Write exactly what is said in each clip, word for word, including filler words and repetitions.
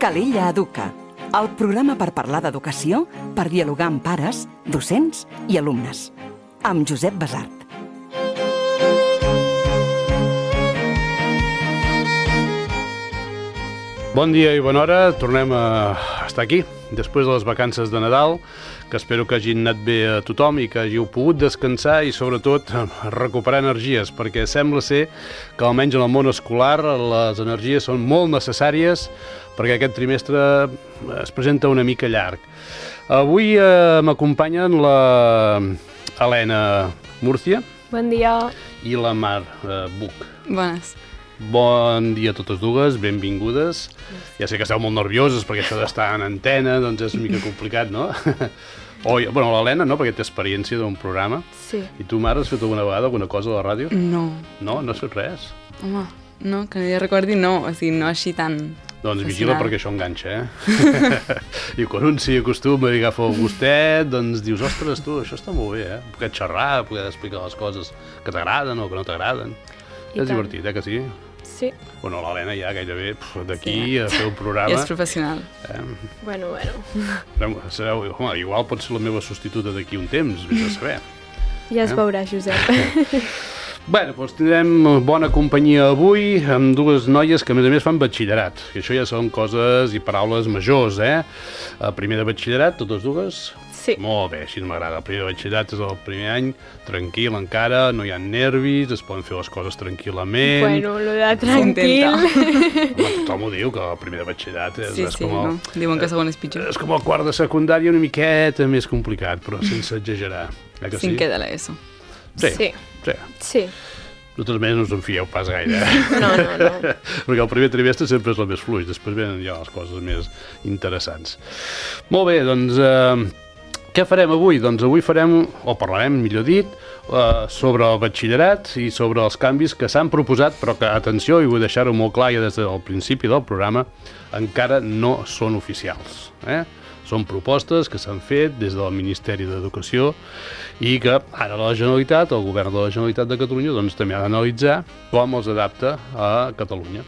Calella Educa, el programa per parlar d'educació, per dialogar amb pares, docents i alumnes. Amb Josep Basart. Bon dia i bona hora, tornem a estar aquí, després de les vacances de Nadal, que espero que hagin anat bé a tothom i que hàgiu pogut descansar i sobretot recuperar energies, perquè sembla ser que almenys en el món escolar les energies són molt necessàries perquè aquest trimestre es presenta una mica llarg. Avui eh, m'acompanyen la Helena Murcia. Bon dia. I la Mar eh, Buch. Bones. Bon dia a totes dues, benvingudes. Ja sé que esteu molt nervioses perquè això d'estar en antena doncs és una mica complicat, no? O, bueno, l'Helena no, perquè té experiència d'un programa. Sí. I tu, Mar, has fet alguna vegada alguna cosa a la ràdio? No. No? No has fet res? Home, no, que no hi recordi, no. O sigui, no així tan... Doncs vigila perquè això enganxa, eh? I quan un s'hi acostuma i agafa el gustet, doncs dius, ostres, tu, això està molt bé, eh? Poder xerrar, poder explicar les coses que t'agraden o que no t'agraden. És tant. Divertit, eh, que sí? Sí. Bueno, l'Helena ja gairebé d'aquí sí. a fer un programa... I és professional. Eh? Bueno, bueno. Sereu, home, igual pot ser la meva substituta d'aquí un temps, vés a saber. Ja es eh? veurà, Josep. Bueno, doncs tindrem bona companyia avui amb dues noies que a més a més fan batxillerat, que això ja són coses i paraules majors, eh? El primer de batxillerat, totes dues? Sí. Molt bé, així m'agrada. El primer de batxillerat és el primer any, tranquil encara, no hi ha nervis, es poden fer les coses tranquil·lament. Bueno, lo de tranquil... Home, tothom ho diu, que el primer de batxillerat és, sí, és sí, com el... no? Diuen que segon és pitjor. És com el quart de secundària, una miqueta més complicat, però sense exagerar. Eh que sí? Cinquè de l'ESO. Sí, sí. Sí. sí. Nosaltres més no us en fieu pas gaire, eh? No, no, no. Perquè el primer trimestre sempre és el més fluix, després venen ja les coses més interessants. Molt bé, doncs, eh, què farem avui? Doncs avui farem, o parlarem, millor dit, eh, sobre el batxillerat i sobre els canvis que s'han proposat, però que, atenció, i vull deixar-ho molt clar ja des del principi del programa, encara no són oficials, eh? Són propostes que s'han fet des del Ministeri d'Educació i que ara la Generalitat, el Govern de la Generalitat de Catalunya, doncs també ha d'analitzar com els adapta a Catalunya.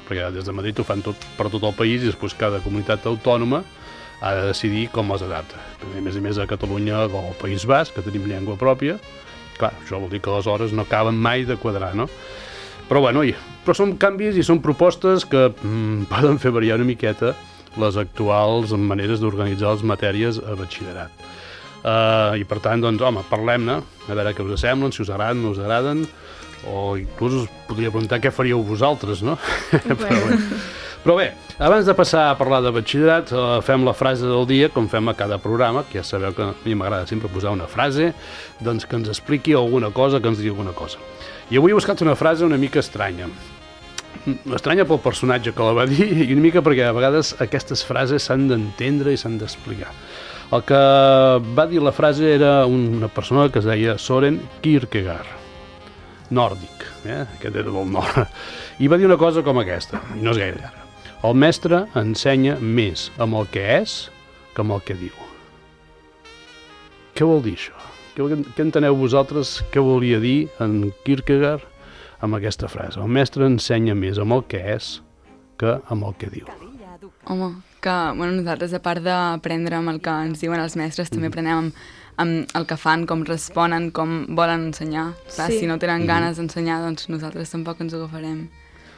Perquè des de Madrid ho fan tot, per tot el país i després cada comunitat autònoma ha de decidir com els adapta. A més a més a Catalunya o al País Basc, que tenim llengua pròpia, clar, això vol dir que les hores no acaben mai de quadrar, no? Però bueno, però són canvis i són propostes que mm, poden fer variar una miqueta les actuals maneres d'organitzar les matèries a batxillerat. Uh, I per tant, doncs, home, parlem-ne, a veure què us semblen, si us agraden, no us agraden, o inclús us podria preguntar què faríeu vosaltres, no? Bueno. Però bé. Però bé, abans de passar a parlar de batxillerat, uh, fem la frase del dia, com fem a cada programa, que ja sabeu que a mi m'agrada sempre posar una frase, doncs que ens expliqui alguna cosa, que ens digui alguna cosa. I avui he buscat una frase una mica estranya. Estranya pel personatge que la va dir i una mica perquè a vegades aquestes frases s'han d'entendre i s'han d'explicar. El que va dir la frase era una persona que es deia Søren Kierkegaard, nòrdic, eh? Aquest era del nord. I va dir una cosa com aquesta, i no és gaire llarga. El mestre ensenya més amb el que és que amb el que diu. Què vol dir això? Què enteneu vosaltres què volia dir en Kierkegaard amb aquesta frase? El mestre ensenya més amb el que és que amb el que diu. Home, que bueno, nosaltres, a part d'aprendre amb el que ens diuen els mestres, també aprenem amb, amb el que fan, com responen, com volen ensenyar. Clar, Sí. si no tenen ganes d'ensenyar, doncs nosaltres tampoc ens ho agafarem.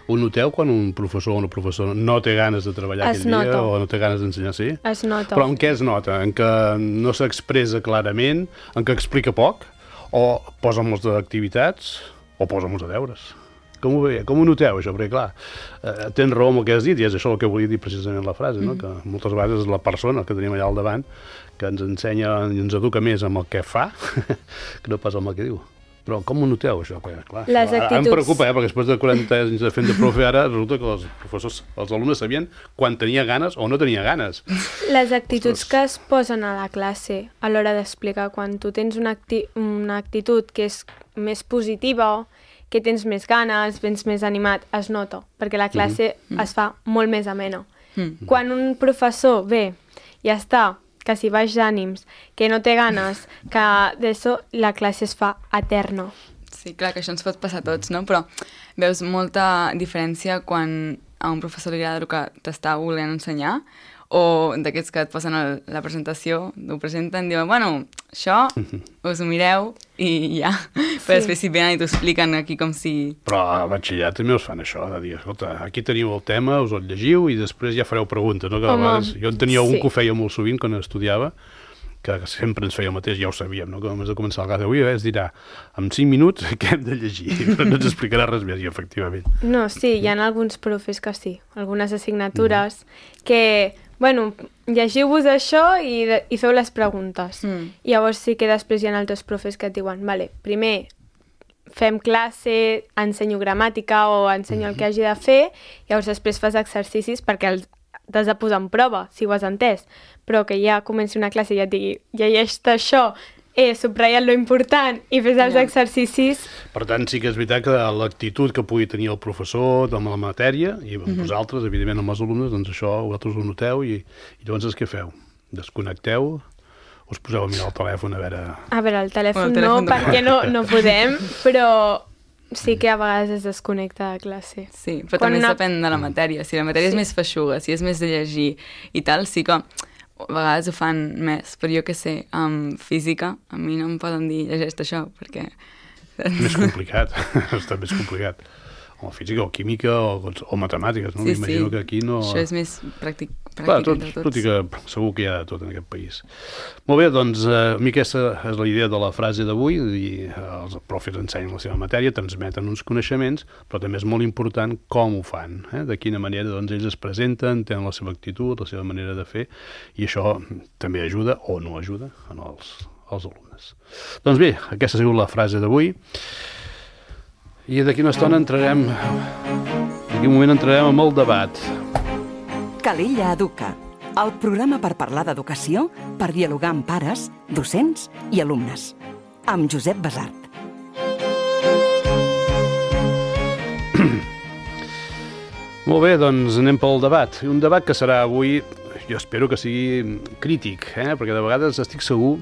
Ho noteu quan un professor o una professora no té ganes de treballar Es aquell dia nota. o no té ganes d'ensenyar, sí? Es nota. Però en què es nota? En que no s'expressa clarament, en que explica poc, o posa molts d'activitats, o posa molts de deures? Com ho, ve, com ho noteu, això? Perquè, clar, eh, tens raó amb el que has dit, i és això el que volia dir precisament la frase, no? Que moltes vegades és la persona que tenim allà al davant que ens ensenya i ens educa més amb el que fa que no pas amb el que diu. Però com ho noteu, això? Perquè, clar, Les ara actituds... em preocupa, eh? Perquè després de quaranta anys de fent de profe ara resulta que els professors, els alumnes sabien quan tenia ganes o no tenia ganes. Les actituds que es posen a la classe a l'hora d'explicar, quan tu tens una, acti una actitud que és més positiva, que tens més ganes, vens més animat, es nota, perquè la classe mm-hmm. es fa molt més amena. Mm-hmm. Quan un professor ve i està que si baix d'ànims, que no té ganes, que d'això la classe es fa eterna. Sí, clar, que això ens pot passar a tots, no? Però veus molta diferència quan a un professor li agrada el que t'està volent ensenyar, o d'aquests que et posen el, la presentació, ho presenten, diuen, bueno, això us ho mireu i ja. Sí. Però després si venen i t'ho expliquen aquí com si... Però a batxillerat també us fan això, de dir, escolta, aquí teniu el tema, us el llegiu i després ja fareu preguntes, no? Que a vegades, jo en tenia un sí. que ho feia molt sovint quan estudiava, que sempre ens feia el mateix, ja ho sabíem, no? Que només de començar el cas d'avui es dirà, en cinc minuts què hem de llegir, però no ens explicarà res més, i efectivament. No, sí, hi ha alguns profes que sí, algunes assignatures mm. que... Bueno, llegiu-vos això i, de, i feu les preguntes. Mm. I llavors sí que després hi ha altres profes que et diuen, vale, primer fem classe, ensenyo gramàtica o ensenyo mm. el que hagi de fer, i llavors després fas exercicis perquè els t'has de posar en prova, si ho has entès. Però que ja comenci una classe i ja et digui, llegeix-te això, eh, subratlla't lo important i fes els yeah. exercicis... Per tant, sí que és veritat que l'actitud que pugui tenir el professor amb la matèria, i amb mm-hmm. vosaltres, evidentment amb els alumnes, doncs això vosaltres ho noteu i, i llavors què feu? Desconnecteu? Us poseu a mirar el telèfon a veure... A veure, el telèfon, el telèfon no, perquè no, no podem, però sí que a vegades es desconnecta de classe. Sí, però Quan també una... depèn de la matèria. Si la matèria sí. és més feixuga, si és més de llegir i tal, sí que... a vegades ho fan més, però jo què sé, amb física, a mi no em poden dir llegeix això, perquè... Més complicat, està més complicat. O física, o química, o, o matemàtiques, no? Sí, M'imagino sí. que aquí no... Això és més pràctic, pràctic Clar, tot, entre tots. tot i que segur que hi ha de tot en aquest país. Molt bé, doncs eh, a mi aquesta és la idea de la frase d'avui, els profes ensenyen la seva matèria, transmeten uns coneixements, però també és molt important com ho fan, eh? De quina manera doncs, ells es presenten, tenen la seva actitud, la seva manera de fer, i això també ajuda o no ajuda en els, els alumnes. Doncs bé, aquesta ha sigut la frase d'avui. I d'aquí una estona entrarem, d'aquí un moment entrarem amb el debat. Calella Educa, el programa per parlar d'educació, per dialogar amb pares, docents i alumnes. Amb Josep Basart. Molt bé, doncs anem pel debat. Un debat que serà avui... Jo espero que sigui crític, eh? Perquè de vegades estic segur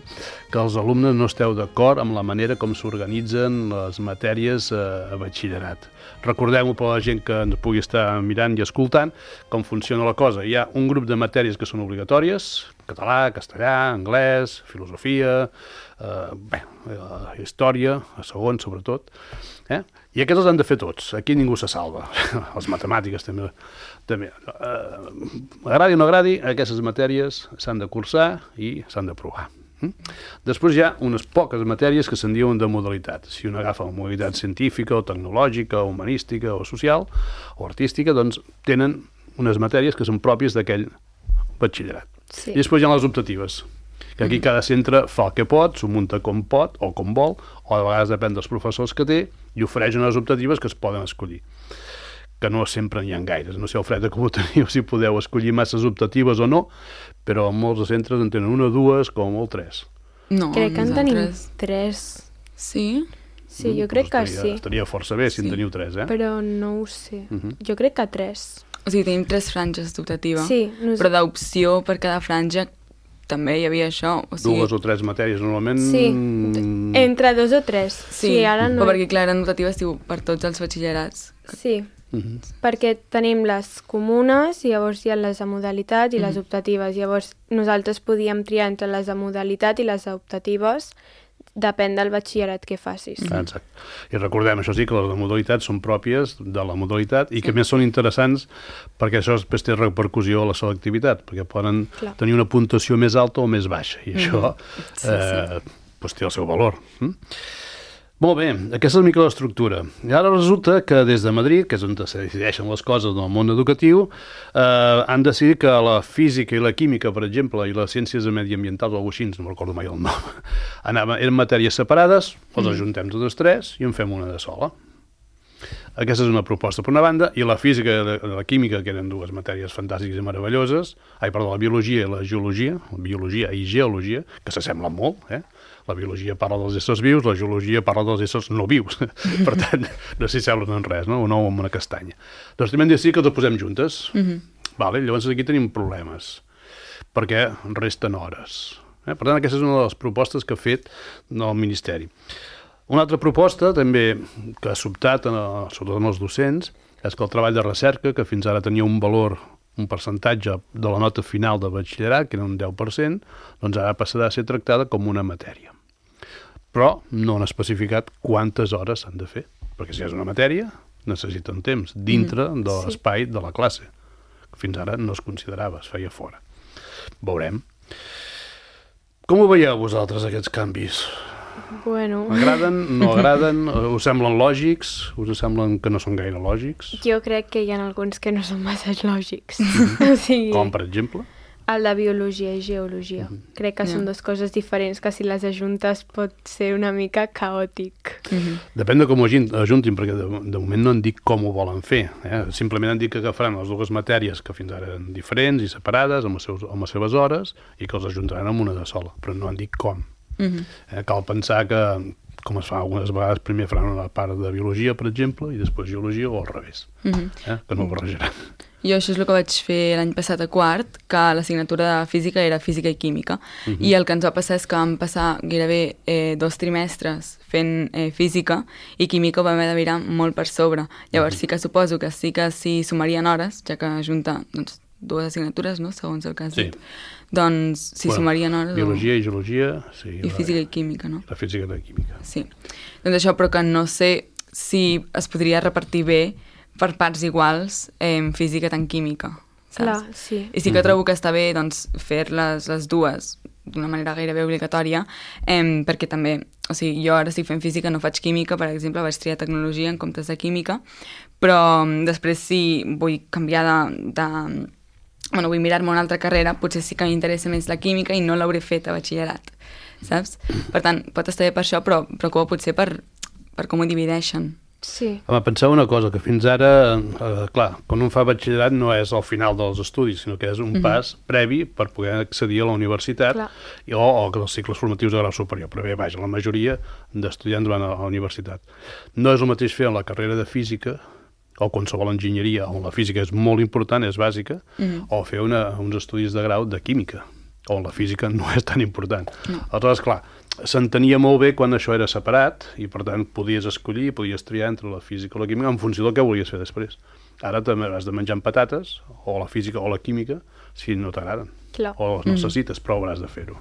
que els alumnes no esteu d'acord amb la manera com s'organitzen les matèries a batxillerat. Recordem-ho per la gent que ens pugui estar mirant i escoltant com funciona la cosa. Hi ha un grup de matèries que són obligatòries, català, castellà, anglès, filosofia, eh, bé, eh, història, a segon sobretot, eh? I aquests els han de fer tots, aquí ningú se salva, les matemàtiques també. també. Eh, agradi o no agradi, aquestes matèries s'han de cursar i s'han d'aprovar. Després hi ha unes poques matèries que se'n diuen de modalitat. Si un agafa la modalitat científica o tecnològica o humanística o social o artística, doncs tenen unes matèries que són pròpies d'aquell batxillerat. Sí. I després hi ha les optatives, que aquí cada centre fa el que pot, s'ho munta com pot o com vol, o a vegades depèn dels professors que té, i ofereix unes optatives que es poden escollir, que no sempre n'hi ha gaires. No sé, Alfreda, com ho teniu, si podeu escollir masses optatives o no, però molts centres en tenen una, dues, com molt tres. No, crec que en tenim tres. Sí? Sí, jo crec que sí. Estaria força bé si en teniu tres, eh? Però no ho sé. Jo crec que tres. O sigui, tenim tres franges d'optativa, sí, no sé. Però d'opció per cada franja també hi havia això. O sigui... Dues o tres matèries, normalment... Sí, entre dos o tres. Sí, sí ara no... però perquè, clar, eren optatives diu, per tots els batxillerats. Sí, uh-huh. Perquè tenim les comunes i llavors hi ha les de modalitat i uh-huh. les optatives. Llavors nosaltres podíem triar entre les de modalitat i les optatives, depèn del batxillerat que facis. Ah, exacte. I recordem, això sí, que les de modalitat són pròpies de la modalitat i que més són interessants perquè això després té repercussió a la selectivitat, perquè poden Clar. tenir una puntuació més alta o més baixa, i això mm-hmm. sí, eh, sí. Pues té el seu valor. Mm? Molt bé, aquesta és una mica l'estructura. I ara resulta que des de Madrid, que és on se decideixen les coses del món educatiu, eh, han decidit que la física i la química, per exemple, i les ciències mediambientals o alguna cosa així, no recordo mai el nom, anaven, eren matèries separades, les mm. ajuntem totes tres i en fem una de sola. Aquesta és una proposta per una banda, i la física i la, la química, que eren dues matèries fantàstiques i meravelloses, ai, perdó, la biologia i la geologia, la biologia i geologia, que s'assemblen molt, eh? La biologia parla dels éssers vius, la geologia parla dels éssers no vius. Per tant, no s'hi semblen en res, no? Un ou amb una castanya. Doncs també hem de dir que els posem juntes. Mm-hmm. Vale? Llavors aquí tenim problemes, perquè resten hores. Eh? Per tant, aquesta és una de les propostes que ha fet el Ministeri. Una altra proposta, també, que ha sobtat, sobretot en els docents, és que el treball de recerca, que fins ara tenia un valor, un percentatge de la nota final de batxillerat, que era un deu per cent, doncs ara passarà a ser tractada com una matèria. Però no han especificat quantes hores s'han de fer, perquè si és una matèria, necessiten temps dintre mm, de l'espai sí. de la classe. Fins ara no es considerava, es feia fora. Veurem. Com ho veieu vosaltres, aquests canvis? Bueno... Agraden, no agraden? Us semblen lògics? Us semblen que no són gaire lògics? Jo crec que hi ha alguns que no són massa lògics. Mm-hmm. O sigui, com, per exemple? El de biologia i geologia. Mm-hmm. Crec que yeah. són dues coses diferents, que si les ajuntes pot ser una mica caòtic. Mm-hmm. Depèn de com ho ajuntin, perquè de, de moment no han dit com ho volen fer. Eh? Simplement han dit que agafaran les dues matèries que fins ara eren diferents i separades, amb, els seus, amb les seves hores, i que els ajuntaran en una de sola, però no han dit com. Mm-hmm. eh, cal pensar que, com es fa algunes vegades, primer faran una part de biologia, per exemple, i després geologia, o al revés, mm-hmm. eh, que no ho barrejaran. Jo això és el que vaig fer l'any passat a quart, que l'assignatura de física era física i química, mm-hmm. i el que ens va passar és que vam passar gairebé eh, dos trimestres fent eh, física, i química ho vam haver de mirar molt per sobre. Llavors mm-hmm. sí que suposo que sí que s'hi sumarien hores, ja que junta doncs, dues assignatures, no?, segons el cas sí. dit. Doncs s'hi bueno, sumarien hores... Biologia o... i geologia... Sí, I física i química, no? La física i la química. Sí. Doncs això, però que no sé si es podria repartir bé per parts iguals en física tant química, saps? Clar, sí. I sí que trobo que està bé doncs, fer-les les dues d'una manera gairebé obligatòria, eh, perquè també, o sigui, jo ara estic fent física, no faig química, per exemple, vaig triar tecnologia en comptes de química, però després si vull canviar de... de bueno, vull mirar-me una altra carrera, potser sí que m'interessa més la química i no l'hauré fet a batxillerat, saps? Per tant, pot estar bé per això, però preocupa potser per, per com ho divideixen. Sí. Home, penseu una cosa, que fins ara, eh, clar, quan un fa batxillerat no és al final dels estudis, sinó que és un mm-hmm. pas previ per poder accedir a la universitat i, o, o els cicles formatius de grau superior. Però bé, vaja, la majoria d'estudiants van a la universitat. No és el mateix fer la carrera de física o qualsevol enginyeria, on la física és molt important, és bàsica, mm-hmm. o fer una, uns estudis de grau de química, on la física no és tan important. No. Aleshores, clar, s'entenia molt bé quan això era separat, i per tant podies escollir, podies triar entre la física o la química en funció del que volies fer després. Ara també has de menjar amb patates, o la física o la química, si no t'agraden, o les necessites, mm. però hauràs de fer-ho.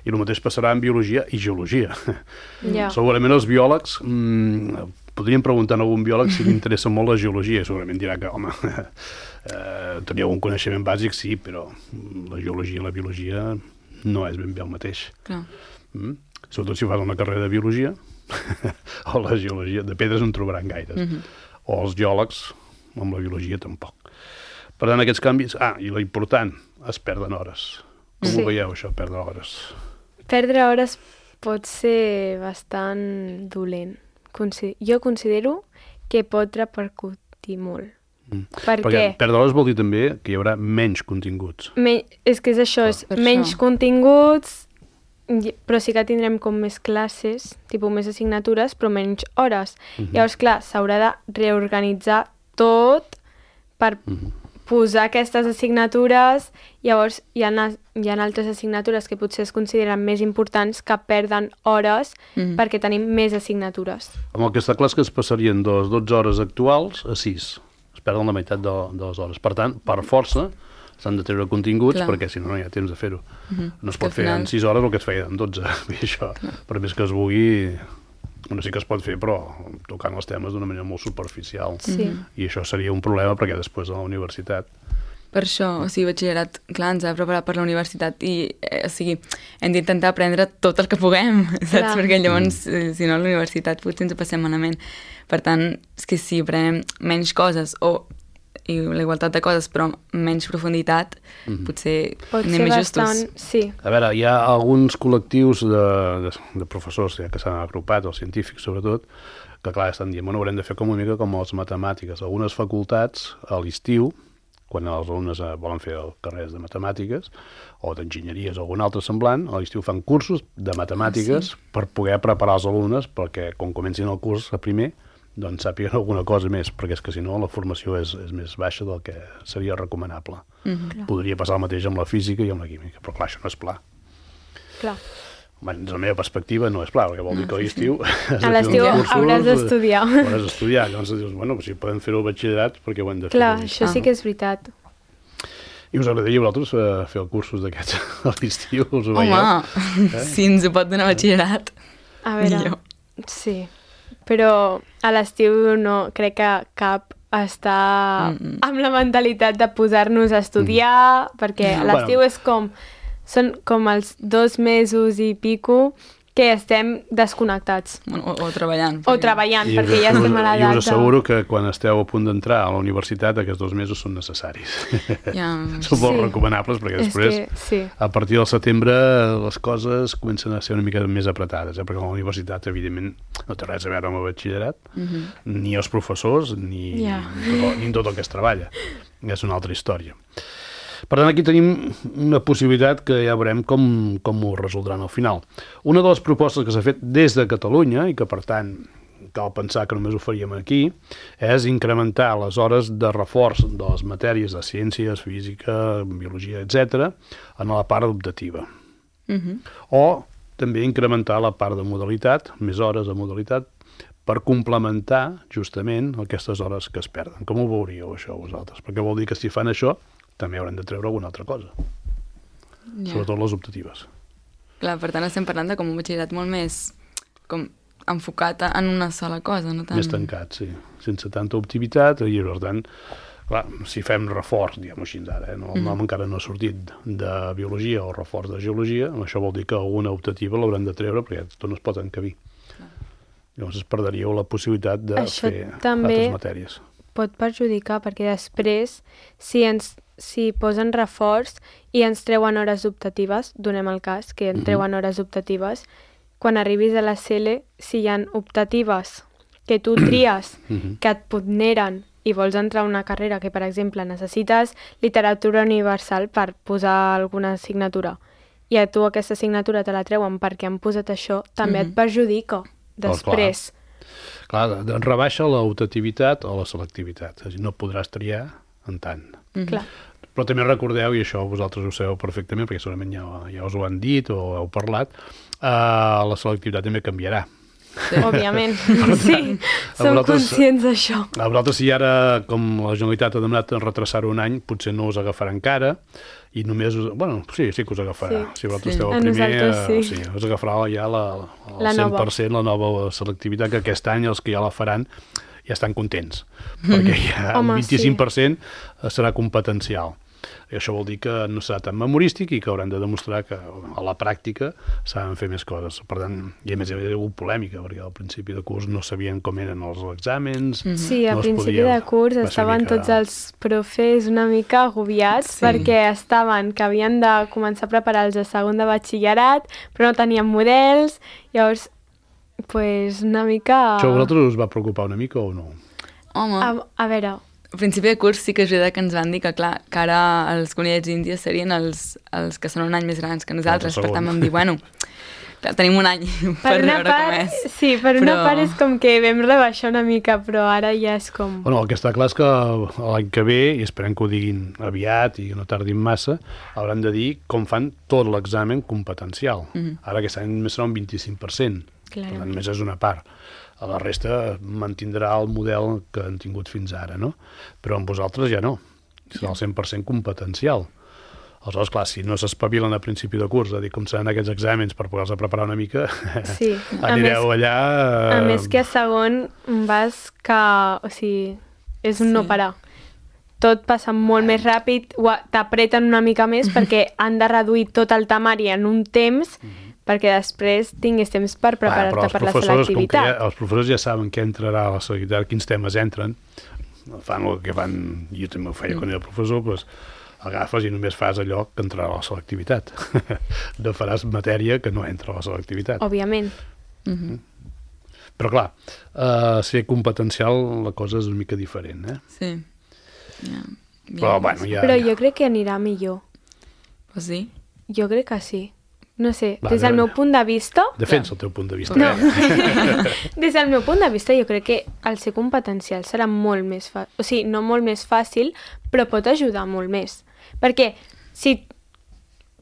I el mateix passarà en biologia i geologia. Yeah. Segurament els biòlegs... Mmm, podríem preguntar a algun biòleg si li interessa molt la geologia, i segurament dirà que, home, eh, tenia algun coneixement bàsic, sí, però la geologia i la biologia no és ben bé el mateix. Clar. Mm? Sobretot si fas una carrera de biologia, o la geologia, de pedres en trobaran gaires. Mm-hmm. O els geòlegs, amb la biologia tampoc. Per tant, aquests canvis... Ah, i l'important, es perden hores. Com sí. ho veieu, això, perdre hores? Perdre hores pot ser bastant dolent. Jo considero que pot repercutir molt. Mm. Per Perquè què? Perdre hores vol dir també que hi haurà menys continguts. Men és que és això, ah. és per menys això. continguts, però sí que tindrem com més classes, tipus més assignatures, però menys hores. Mm-hmm. Llavors, clar, s'haurà de reorganitzar tot per mm-hmm. posar aquestes assignatures. Llavors, hi ha, hi ha altres assignatures que potser es consideren més importants que perden hores mm-hmm. perquè tenim més assignatures. Amb el que està clar és que es passarien de les dotze hores actuals a sis. Es perden la meitat de, de les hores. Per tant, per força, s'han de treure continguts, clar. Perquè si no, no hi ha temps de fer-ho. Mm-hmm. No es pot fer final... en sis hores el que es feia en dotze. Això, per més que es vulgui... Bueno, sí que es pot fer, però tocant els temes d'una manera molt superficial. Sí. I això seria un problema perquè després a la universitat... Per això, o sigui, batxillerat, clar, ens ha preparat per la universitat i, eh, o sigui, hem d'intentar aprendre tot el que puguem, saps? Clar. Perquè llavors, mm. si no, a la universitat potser ens ho passem malament. Per tant, és que si aprenem menys coses o i la igualtat de coses, però menys profunditat, mm-hmm. potser Pot anem més justos. Bastant, sí. A veure, hi ha alguns col·lectius de, de, de professors ja que s'han agrupat, els científics sobretot, que clar, estan dient, bueno, haurem de fer com una mica com les matemàtiques. Algunes facultats a l'estiu, quan els alumnes volen fer carreres de matemàtiques o d'enginyeries o algun altre semblant, a l'estiu fan cursos de matemàtiques ah, sí. per poder preparar els alumnes perquè quan comencin el curs a primer doncs sàpiguen alguna cosa més, perquè és que si no la formació és, és més baixa del que seria recomanable. Mm-hmm. Podria passar el mateix amb la física i amb la química, però clar, això no és pla. Clar. Bé, des de la meva perspectiva no és clar, perquè vol dir que a l'estiu... A l'estiu hauràs d'estudiar. Hauràs d'estudiar. Llavors dius, bueno, si poden fer-ho al batxillerat, perquè ho hem de fer. Clar, això sí que és veritat. I us agradaria a vosaltres fer els cursos d'aquests a l'estiu? Us ho Home, veieu? eh? Si ens ho pot donar batxillerat, a veure, millor. Sí, però a l'estiu no crec que cap està mm -mm. amb la mentalitat de posar-nos a estudiar, mm. perquè a l'estiu bueno. és com... Són com els dos mesos i pico que estem desconnectats. O, o treballant. O treballant, I perquè ja estem a l'edat. I us asseguro que quan esteu a punt d'entrar a la universitat aquests dos mesos són necessaris. Ja. Són molt sí. recomanables perquè després, que, sí. a partir del setembre, les coses comencen a ser una mica més apretades, eh? Perquè la universitat, evidentment, no té res a veure amb el batxillerat, uh -huh. ni els professors, ni, yeah. ni, tot, ni tot el que es treballa. És una altra història. Per tant, aquí tenim una possibilitat que ja veurem com, com ho resoldran al final. Una de les propostes que s'ha fet des de Catalunya, i que per tant cal pensar que només ho faríem aquí, és incrementar les hores de reforç de les matèries de ciències, física, biologia, etcètera, en la part optativa. Uh-huh. O també incrementar la part de modalitat, més hores de modalitat, per complementar justament aquestes hores que es perden. Com ho veuríeu, això, vosaltres? Perquè vol dir que si fan això també haurem de treure alguna altra cosa. Yeah. Sobretot les optatives. Clar, per tant estem parlant de com un batxillerat molt més com enfocat en una sola cosa, no tant... Més tancat, sí. Sense tanta optimitat, i per tant, clar, si fem reforç, diguem-ho així ara, eh? no, el nom mm. encara no ha sortit de biologia o reforç de geologia, això vol dir que alguna optativa l'haurem de treure perquè tot no es pot encabir. Clar. Llavors es perdríeu la possibilitat de això fer també altres matèries. Pot perjudicar, perquè després, si ens si posen reforç i ens treuen hores optatives, donem el cas, que ens treuen mm-hmm. hores optatives, quan arribis a la C L, si hi ha optatives que tu tries, mm-hmm. que et ponderen i vols entrar a una carrera que, per exemple, necessites literatura universal per posar alguna assignatura, i a tu aquesta assignatura te la treuen perquè han posat això, també mm-hmm. et perjudica després. Oh, clar, clar, rebaixa l'optativitat o la selectivitat, és a dir, no podràs triar en tant. Mm-hmm. Clar. Però també recordeu, i això vosaltres ho sabeu perfectament, perquè segurament ja, ja us ho han dit o heu parlat, uh, la selectivitat també canviarà. Sí. Òbviament, sí, som conscients d'això. A vosaltres, si ara, com la Generalitat ha demanat retrasar un any, potser no us agafarà encara, i només, us, bueno, sí, sí que us agafarà. Sí, si vosaltres sí. esteu al primer, sí. sí, us agafarà ja la, la cent per cent la nova selectivitat, que aquest any els que ja la faran ja estan contents, perquè ja Home, un vint-i-cinc per cent sí. serà competencial. I això vol dir que no serà tan memorístic i que hauran de demostrar que a la pràctica saben fer més coses. Per tant, i a més hi havia hagut polèmica, perquè al principi de curs no sabien com eren els exàmens. Sí, al no principi de curs estaven mica... tots els profes una mica agobiats sí. perquè estaven que havien de començar a preparar-los a segon de batxillerat, però no tenien models, llavors, pues, una mica... Això a vosaltres us va preocupar una mica o no? Home... A, a veure... Al principi de curs sí que és veritat que ens van dir que, clar, que ara els conillets índies serien els, els que són un any més grans que nosaltres, per tant vam dir, bueno, clar, tenim un any per, per veure part, com és. Sí, per però... una part és com que vam rebaixar una mica, però ara ja és com... Bueno, el que està clar és que l'any que ve, i esperem que ho diguin aviat i que no tardin massa, hauran de dir com fan tot l'examen competencial. Mm-hmm. Ara aquest any només serà un vint-i-cinc per cent, clar. Per tant, només és una part. A la resta mantindrà el model que han tingut fins ara, no? Però amb vosaltres ja no. Serà el cent per cent competencial. Aleshores, clar, si no s'espavilen a principi de curs a dir com seran aquests exàmens per poder-se preparar una mica, sí. anireu més, allà... A més que a segon vas que... O sigui, és un sí. no parar. Tot passa molt més ràpid, t'apreten una mica més perquè han de reduir tot el temari en un temps... Mm-hmm. perquè després tinguis temps per preparar-te per la selectivitat. Ja, els professors ja saben què entrarà a la selectivitat, quins temes entren, fan el que fan, jo també ho feia mm. quan era professor, doncs agafes i només fas allò que entrarà a la selectivitat. No faràs matèria que no entra a la selectivitat. Òbviament. Mm-hmm. Però clar, uh, ser competencial la cosa és una mica diferent, eh? Sí. Ja. Però, bueno, ja, Però ja. jo crec que anirà millor. Pues sí? Jo crec que sí. No sé, Va, des del meu punt de vista... Defensa el teu punt de vista. No. Des del meu punt de vista jo crec que el ser competencial serà molt més fàcil. O sigui, no molt més fàcil, però pot ajudar molt més. Perquè, si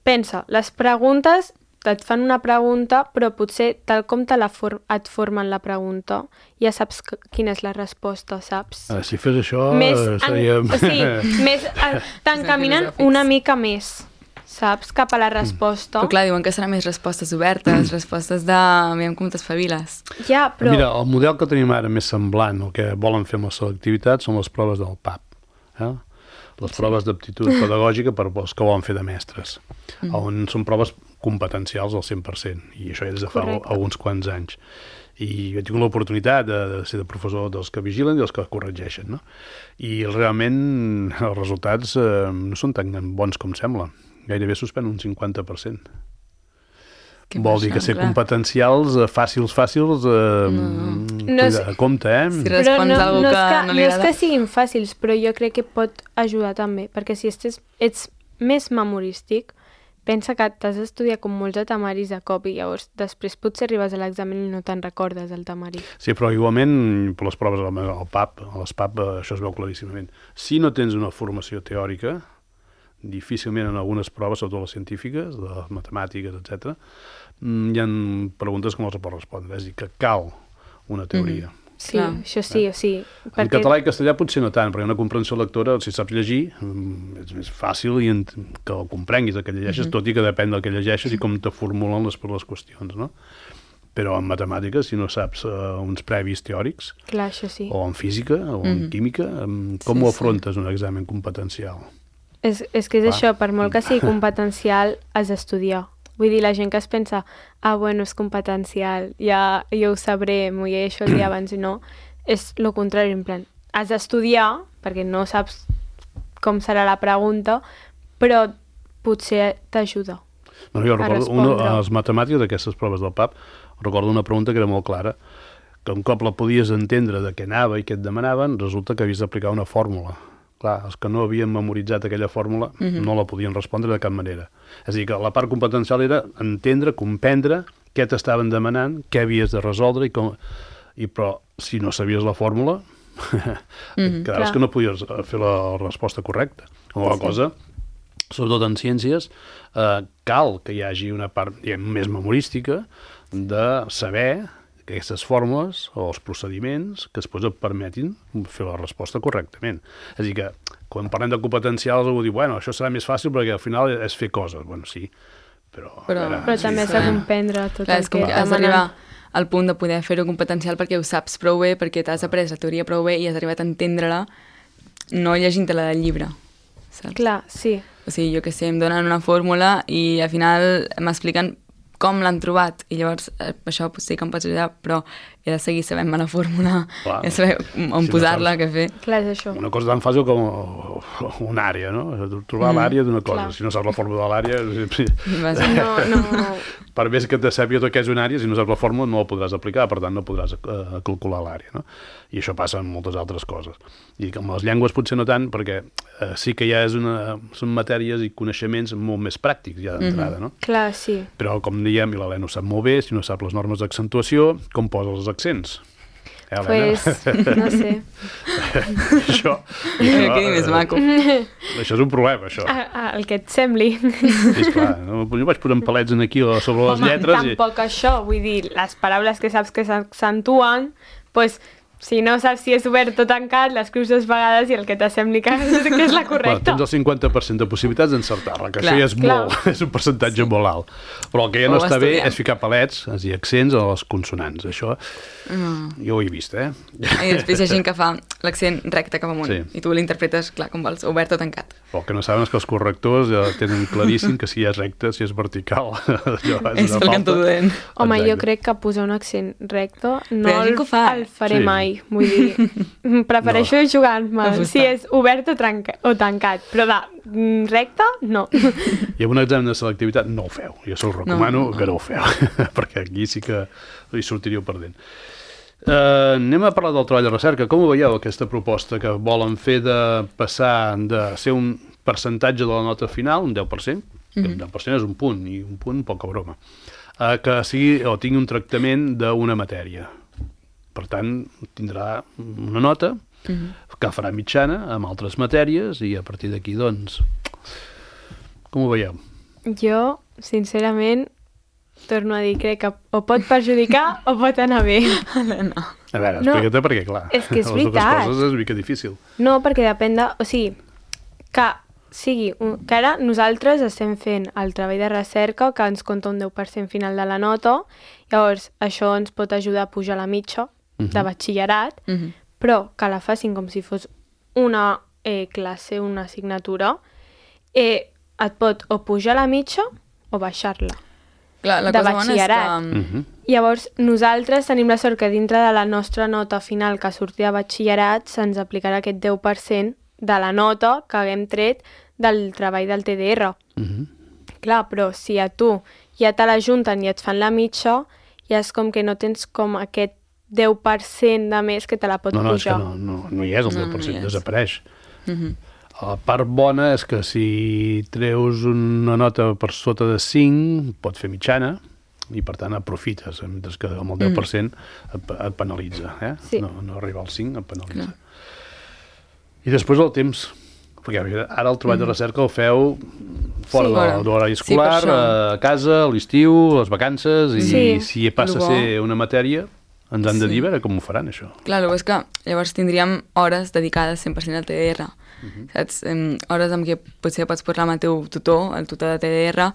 pensa, les preguntes et fan una pregunta, però potser tal com te la for et formen la pregunta, ja saps que, quina és la resposta, saps? Uh, si fes això, més, uh, seríem... En, o sigui, més, uh, t'encaminen una mica més, saps? Cap a la resposta. Però clar, diuen que seran més respostes obertes, respostes de... Aviam com t'espaviles. Ja, però... Mira, el model que tenim ara més semblant, el que volen fer amb la selectivitat, són les proves del P A P. Eh? Les sí. proves d'aptitud pedagògica per als que volen fer de mestres, mm. on són proves competencials al cent per cent, i això ja des de fa Correcte. alguns quants anys. I he tingut l'oportunitat de, de ser de professor dels que vigilen i dels que corregeixen, no? I realment els resultats eh, no són tan bons com sembla. Gairebé suspèn un cinquanta per cent. Que Vol dir que ser clar. competencials, fàcils, fàcils, eh, no. No és, compte, eh? Si respons no, algú no que, que no li agrada. No és que siguin fàcils, però jo crec que pot ajudar també, perquè si ets, ets més memorístic, pensa que t'has d'estudiar com molts de temaris a cop i llavors després potser arribes a l'examen i no te'n recordes el temari. Sí, però igualment per les proves al P A P, a les P A P això es veu claríssimament. Si no tens una formació teòrica, difícilment en algunes proves, sobretot les científiques, de les matemàtiques, etcètera, hi ha preguntes que no els pots respondre, és a dir, que cal una teoria. Mm. Sí, Clar. això sí, eh? o sí. En perquè... català i castellà potser no tant, perquè una comprensió lectora, si saps llegir, és més fàcil i que el comprenguis el que llegeixes, mm-hmm. tot i que depèn del que llegeixes i com te formulen les, les qüestions, no? Però en matemàtiques, si no saps uh, uns previs teòrics, Clar, això sí. o en física, o en mm-hmm. química, com sí, ho afrontes sí. un examen competencial? És, és que és Clar. això, per molt que sigui competencial, has d'estudiar. Vull dir, la gent que es pensa, ah, bueno, és competencial, ja jo ho sabré, m'ho llegeixo el dia abans i no, és el contrari, en plan, has d'estudiar, perquè no saps com serà la pregunta, però potser t'ajuda no, jo recordo, una, a les matemàtiques d'aquestes proves del P A P, recordo una pregunta que era molt clara, que un cop la podies entendre de què anava i què et demanaven, resulta que havies d'aplicar una fórmula. Clar, els que no havien memoritzat aquella fòrmula mm-hmm. no la podien respondre de cap manera. És a dir, que la part competencial era entendre, comprendre què t'estaven demanant, què havies de resoldre, i com... I, però si no sabies la fòrmula, mm-hmm, quedaves que no podies fer la resposta correcta. O la sí. cosa, sobretot en ciències, eh, cal que hi hagi una part diguem, més memorística de saber aquestes fórmules o els procediments que després et permetin fer la resposta correctament. És a dir que, quan parlem de competencials, algú diu, bueno, això serà més fàcil perquè al final és fer coses. Bueno, sí, però... Però, veure, però sí, també s'ha de comprendre tot Clar, el que has d'arribar al punt de poder fer-ho competencial perquè ho saps prou bé, perquè t'has après la teoria prou bé i has arribat a entendre-la no llegint-te-la del llibre. Saps? Clar, sí. O sigui, jo que sé, em donen una fórmula i al final m'expliquen com l'han trobat, i llavors eh, això sí que em pots ajudar, però he de seguir sabent-me la fórmula, Clar, he de saber on si posar-la, no què fer. Clar, és això. Una cosa tan fàcil com una àrea, no? Trobar mm, l'àrea d'una cosa. Clar. Si no saps la fórmula de l'àrea... No, no. Per més que te sàpiga tot què és una àrea, si no saps la fórmula no la podràs aplicar, per tant no podràs uh, calcular l'àrea, no? I això passa amb moltes altres coses. I amb les llengües potser no tant, perquè uh, sí que ja és una, són matèries i coneixements molt més pràctics ja d'entrada, mm-hmm. no? Clar, sí. Però com diem, i l'Helena ho sap molt bé, si no sap les normes d'accentuació, com posa els accents? Eh, pues, no sé. això, això, que més maco. Això és un problema, això. Ah, ah, el que et sembli. Sí, esclar, no? Jo vaig posant palets aquí sobre les Home, lletres. Home, tampoc i... això, vull dir, les paraules que saps que s'accentuen, doncs, pues, si no saps si és obert o tancat, l'escrius dues vegades i el que t'assembli que és la correcta. Bueno, tens el cinquanta per cent de possibilitats d'encertar-la, que clar, això ja és, molt, és un percentatge sí. molt alt. Però el que ja no o està bé és ficar palets, és a dir, accents a les consonants. Això mm. jo ho he vist, eh? I després hi ha gent que fa l'accent recte cap amunt, sí. i tu l'interpretes, clar, com vols, obert o tancat. Però el que no saben és que els correctors ja tenen claríssim que si és recte, si és vertical, allò és, és una falta. Home, exacte. Jo crec que posar un accent recte no el, fa. el faré sí. mai. Vull dir, prefereixo no. jugar-me si és obert o, tranca, o tancat, però de recte, no. I amb un examen de selectivitat no ho feu. Jo us recomano no. que no ho feu, perquè aquí sí que hi sortiríeu perdent. Uh, anem a parlar del treball de recerca. Com ho veieu, aquesta proposta que volen fer de passar de ser un percentatge de la nota final, un deu per cent, que mm-hmm. un deu per cent és un punt, i un punt poca broma, uh, que sigui o tingui un tractament d'una matèria. Per tant, tindrà una nota mm-hmm. que farà mitjana amb altres matèries i a partir d'aquí, doncs, com ho veieu? Jo, sincerament, torno a dir, crec que o pot perjudicar o pot anar bé. No. A veure, explica't, no, perquè, clar, és que és les veritat. dues coses és una mica difícil. No, perquè depèn de... O sigui, que sigui... Un, que ara nosaltres estem fent el treball de recerca que ens compta un deu per cent final de la nota, llavors això ens pot ajudar a pujar la mitja uh-huh. de batxillerat, uh-huh. però que la facin com si fos una eh, classe, una assignatura, eh, et pot o pujar la mitja o baixar-la. Clar, la de cosa bona és batxillerat. que... Uh-huh. Llavors, nosaltres tenim la sort que dintre de la nostra nota final que surti de batxillerat se'ns aplicarà aquest deu per cent de la nota que haguem tret del treball del T D R. Uh-huh. Clar, però si a tu ja te la junten i et fan la mitja, ja és com que no tens com aquest deu per cent de més que te la pot no, no, pujar. No, no, no, no hi és el deu per cent, no, no desapareix. Uh-huh. La part bona és que si treus una nota per sota de cinc, pot fer mitjana, i per tant aprofites, mentre que amb el deu per cent et, et penalitza. Eh? Sí. No, no arriba al cinc, et penalitza. Clar. I després el temps, perquè ara el treball mm. de recerca el feu fora sí, de, de l'horari escolar, sí, a casa, a l'estiu, les vacances, i sí. si passa a ser una matèria, ens han de dir, sí. a veure com ho faran, això. Clar, el que és que llavors tindríem hores dedicades cent per cent al T D R. Uh-huh. Saps? Um, hores amb què potser pots parlar amb el teu tutor, el tutor de T D R,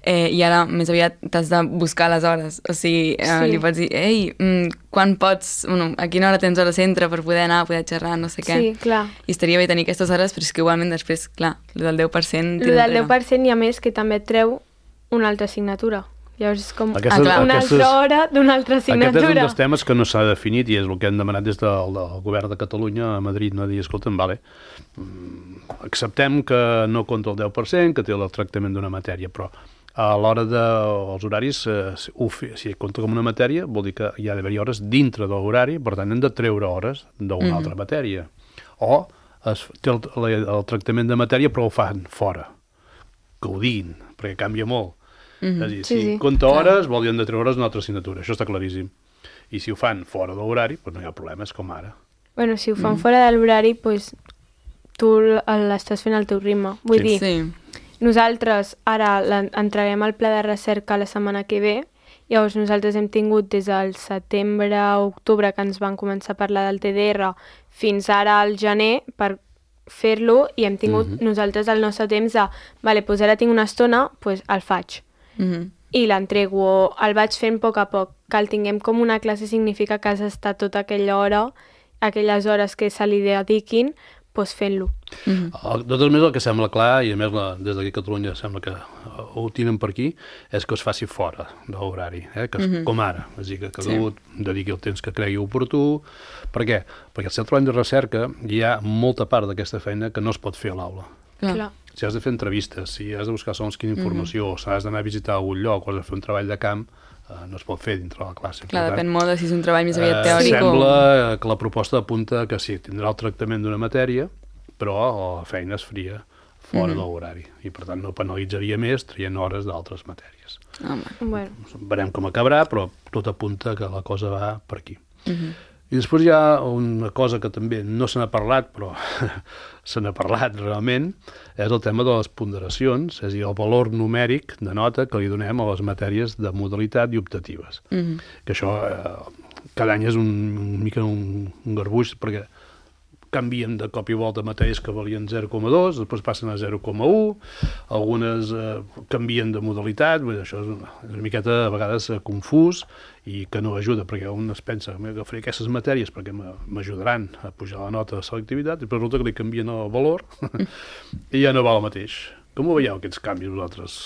eh, i ara més aviat t'has de buscar les hores. O sigui, eh, sí. li pots dir, ei, mm, quan pots, bueno, a quina hora tens hora centre per poder anar, poder xerrar, no sé què. Sí, clar. I estaria bé tenir aquestes hores, però és que igualment després, clar, el del deu per cent... El del deu per cent i a més que també et treu una altra assignatura. Llavors és com Aquestes, ah, una aquestes, altra hora d'una altra assignatura. Aquest és un dels temes que no s'ha definit i és el que hem demanat des del, del govern de Catalunya a Madrid, no dir, escolta'm, vale, acceptem que no compta el deu per cent, que té el tractament d'una matèria, però a l'hora dels horaris, eh, si compta com una matèria, vol dir que hi ha d'haver hores dintre de l'horari, per tant hem de treure hores d'una mm-hmm. altra matèria. O es, té el, el, el tractament de matèria però ho fan fora, que ho diguin, perquè canvia molt. Mm-hmm. És a dir, sí, si sí. compta hores, vol dir hem de treure hores d'una altra assignatura, això està claríssim. I si ho fan fora de l'horari, doncs no hi ha problemes, com ara. Bueno, si ho fan mm. fora de l'horari, doncs tu l'estàs fent al teu ritme. Vull sí. dir, sí. nosaltres ara entreguem el pla de recerca la setmana que ve, llavors nosaltres hem tingut des del setembre a octubre que ens van començar a parlar del T D R fins ara al gener per fer-lo i hem tingut mm-hmm. nosaltres el nostre temps de, vale, doncs ara tinc una estona, doncs el faig. Mm-hmm. I l'entrego, el vaig fent a poc a poc. Que el tinguem com una classe significa que has estat tota aquella hora, aquelles hores que se li dediquin, doncs fent-lo. Mm-hmm. De tot més el que sembla clar, i a més la, des d'aquí a Catalunya sembla que ho tenen per aquí, és que es faci fora de l'horari, eh? Que es, mm-hmm. com ara. És a dir, que cada un sí. dediqui el temps que cregui oportú. Per què? Perquè al seu treball de recerca hi ha molta part d'aquesta feina que no es pot fer a l'aula. Clar. Clar. Si has de fer entrevistes, si has de buscar segons quina informació, mm-hmm. o si has d'anar a visitar algun lloc o has de fer un treball de camp, eh, no es pot fer dintre la classe. Clar, per depèn tant, molt de si és un treball més aviat eh, teòric sembla o... que la proposta apunta que sí, tindrà el tractament d'una matèria, però la feina es faria fora mm-hmm. de l'horari. I per tant no penalitzaria més traient hores d'altres matèries. Home. Bueno. Verem com acabarà, però tot apunta que la cosa va per aquí. Mm-hmm. I després hi ha una cosa que també no se n'ha parlat, però se n'ha parlat realment, és el tema de les ponderacions, és a dir, el valor numèric de nota que li donem a les matèries de modalitat i optatives. Mm-hmm. Que això eh, cada any és un, un mica un, un garbuix, perquè canvien de cop i volta matèries que valien zero coma dos, després passen a zero coma u, algunes eh, canvien de modalitat, bé, això és una, és una miqueta a vegades eh, confús i que no ajuda, perquè un es pensa que agafaré aquestes matèries perquè m'ajudaran a pujar la nota de selectivitat i resulta que li canvien el valor i ja no val el mateix. Com ho veieu, aquests canvis vosaltres?